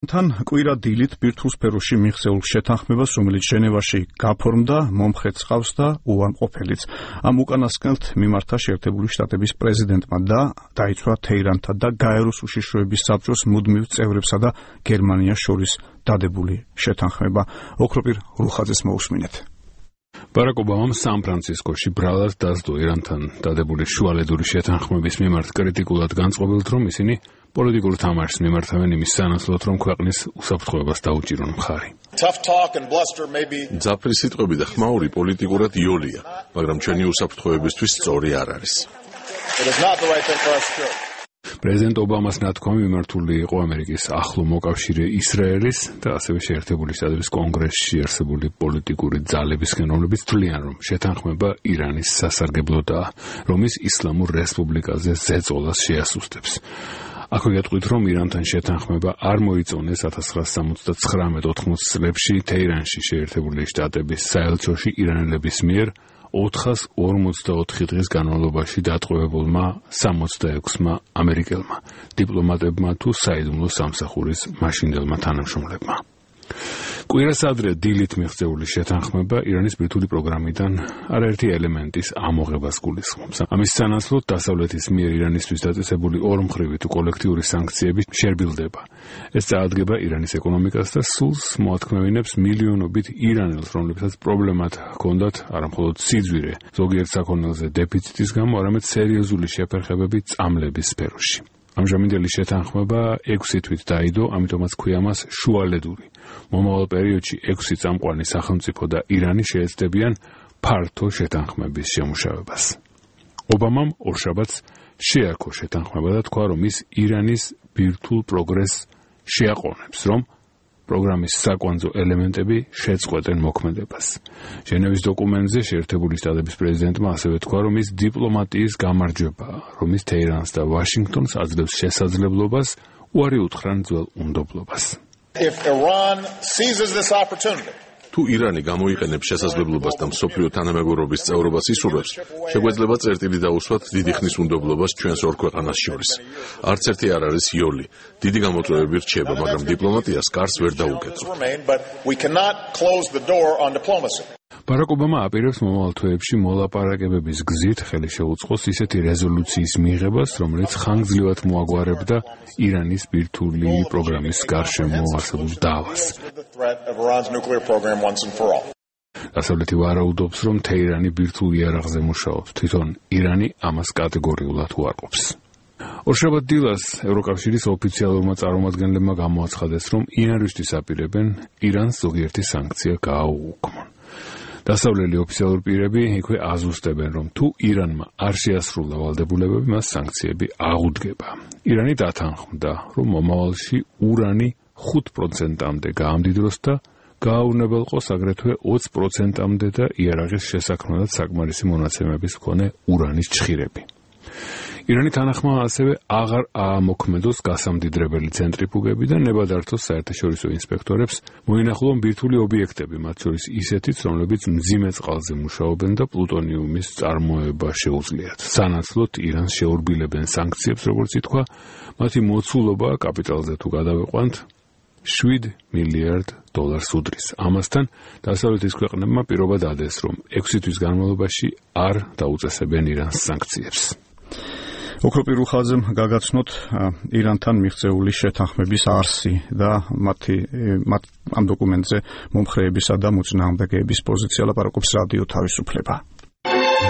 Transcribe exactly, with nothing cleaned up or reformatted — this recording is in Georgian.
თან კვირა დილით ბირთვულ სფეროში მიღწეულ შეთანხმებას, რომელიც ჟენევაში გაფორმდა, მომხრე წყავს და უარყოფილიც. ამ უკანასკნელთ მიმართა შეერთებული შტატების პრეზიდენტმა და დაიცვა თეირანთან და გაეროს უშიშროების საბჭოს მუდმივ წევრებსა და გერმანიას შორის დადებული შეთანხმება. ოქროპირ რუხაძეს მოусმინეთ. ბარაკ ობამამ სან-ფრანცისკოში ბრალად დასდო ირანთან დადებული შუალედური შეთანხმების მიმართ კრიტიკულად განწყობილთ, რომ ისინი პოლიტიკურ თამაშს მიმართავენ იმის სანაცვლოდ, რომ ქვეყნის უსაფრთხოებას დაუჭირონ მხარი. ძაფრი სიტყვები და ხმაური პოლიტიკურად იოლია, მაგრამ ჩვენი უსაფრთხოებისთვის სწორი არ არის. პრეზიდენტ ობამას ნათქვამი მიმართული იყო ამერიკის ახლო მოკავშირე ისრაელის და ასევე შეერთებული შტატების კონგრესში არსებული პოლიტიკური ძალებისგან, რომლებიც თვლიან, რომ შეთანხმება ირანის სასარგებლოდაა, რომ ის ისლამურ რესპუბლიკაზე ზეწოლას შეასუსტებს. აქვე გეტყვით, რომ ირანთან შეთანხმება არ მოიწონეს ათას ცხრაასა სამოცდათხრამეტ ოთხმოცი წლებში თეირანში შეერთებული შტატების საელჩოში ირანელების მიერ ოთხას ორმოცდაოთხი დღის განმავლობაში დატყვევებულმა სამოცდაექვსმა ამერიკელმა დიპლომატებმა თუ საიდუმლო სამსახურის მაშინდელმა თანამშრომლებმა. კვირას ადრე დილით მიღწეული შეთანხმება ირანის ბირთვული პროგრამიდან არაერთი ელემენტის ამოღებას გულისხმობს. ამის სანაცვლოდ დასავლეთის მიერ ირანისთვის დაწესებული ორმხრივი თუ კოლექტიური სანქციები შერბილდება. ეს წაადგება ირანის ეკონომიკას და სულს მოათქმევინებს მილიონობით ირანელს, რომლებსაც პრობლემად ჰქონდათ არამხოლოდ სიძვირე, ზოგიერთ საქონელზე დეფიციტის გამო, არამედ სერიოზული შეფერხებები წამლების სფეროში. ამჟამინდელი შეთანხმება ექვსი თვით დაიდო, ამიტომაც ქვია მას შუალედური. მომავალ პერიოდში ექვსი წამყვანი სახელმწიფო და ირანი შეეცდებიან ფართო შეთანხმების შემუშავებას. ობამამ ორშაბათს შეაქო შეთანხმება და თქვა, რომ ის ირანის ბირთვულ პროგრესს შეაყოვნებს, რომ პროგრამის საკვანძო ელემენტები შეწყვეტენ მოქმედებას. ჟენევის დოკუმენტზე შეერთებული შტატების პრეზიდენტმა ასევე თქვა, რომ ის დიპლომატიის გამარჯვებაა, რომ ის თეირანს და ვაშინგტონს აძლევს შესაძლებლობას უარი უთხრან ძველ უნდობლობას. თუ ირანი გამოიყენებს შესაძლებლობას და მსოფლიო თანამეგობრობის წევრობას ისურვებს, შეგვეძლება წერტილი დაუსვათ დიდი ხნის უნდობლობას ჩვენს ორ ქვეყანას შორის. არც ერთი არ არის იოლი. დიდი გამოწვევები რჩება, მაგრამ დიპლომატიას კარს ვერ დაუკეცოთ. ბარაკ ობამა აპირებს მომავალ თვეებში მოლაპარაკებების გზით ხელი შეუწყოს ისეთი რეზოლუციის მიღებას, რომელიც ხანგრძლივად მოაგვარებდა ირანის ბირთვული პროგრამის გარშემო არსებულ დავას. დასავლეთი ვარაუდობს, რომ თეირანი ბირთვულ იარაღზე მუშაობს, თვითონ ირანი ამას კატეგორიულად უარყოფს. ორშაბათ დილას ევროკავშირის ოფიციალურმა წარმომადგენლებმა გამოაცხადეს, რომ ინარისთვის აპირებენ ირანს ზოგიერთი სანქცია გააუქმონ. დასავლელი ოფიციალური პირები იქვე აზუსტებენ, რომ თუ ირანმა არ შეასრულა ვალდებულებები, მას სანქციები აღუდგება. ირანი დათანხმდა, რომ მომავალში ურანი ხუთ პროცენტამდე გაამდიდროს და გააუნებელყოს აგრეთვე ოცი პროცენტამდე და იარაღის შესაქმნელად საკმარისი მონაცემების მქონე ურანის ჩხირები. ირანი თანახმა ასევე აღარ აამოქმედოს გასამდიდრებელი ცენტრიფუგები და ნებადართოს საერთაშორისო ინსპექტორებს მოინახულონ ბირთვული ობიექტები, მათ შორის ისეთიც, რომლებიც მძიმე წყალზე მუშაობენ და პლუტონიუმის წარმოება შეუძლიათ. სანაცვლოდ ირანს შეურბილებენ სანქციებს, როგორც ითქვა, მათი მოცულობა კაპიტალზე თუ გადავიყვანთ შვიდ მილიარდ დოლარს უდრის. ამასთან დასავლეთის ქვეყნებმა პირობა დადეს, რომ ექვსი თვის განმავლობაში არ დაუწესებენ ირანს სანქციებს. ოქროპირ რუხაძემ გაგაცნოთ ირანთან მიღწეული შეთანხმების არსი და მათი ამ დოკუმენტზე მომხრეებისა და მოწინააღმდეგეების პოზიცია ლაპარაკობს რადიო თავისუფლება.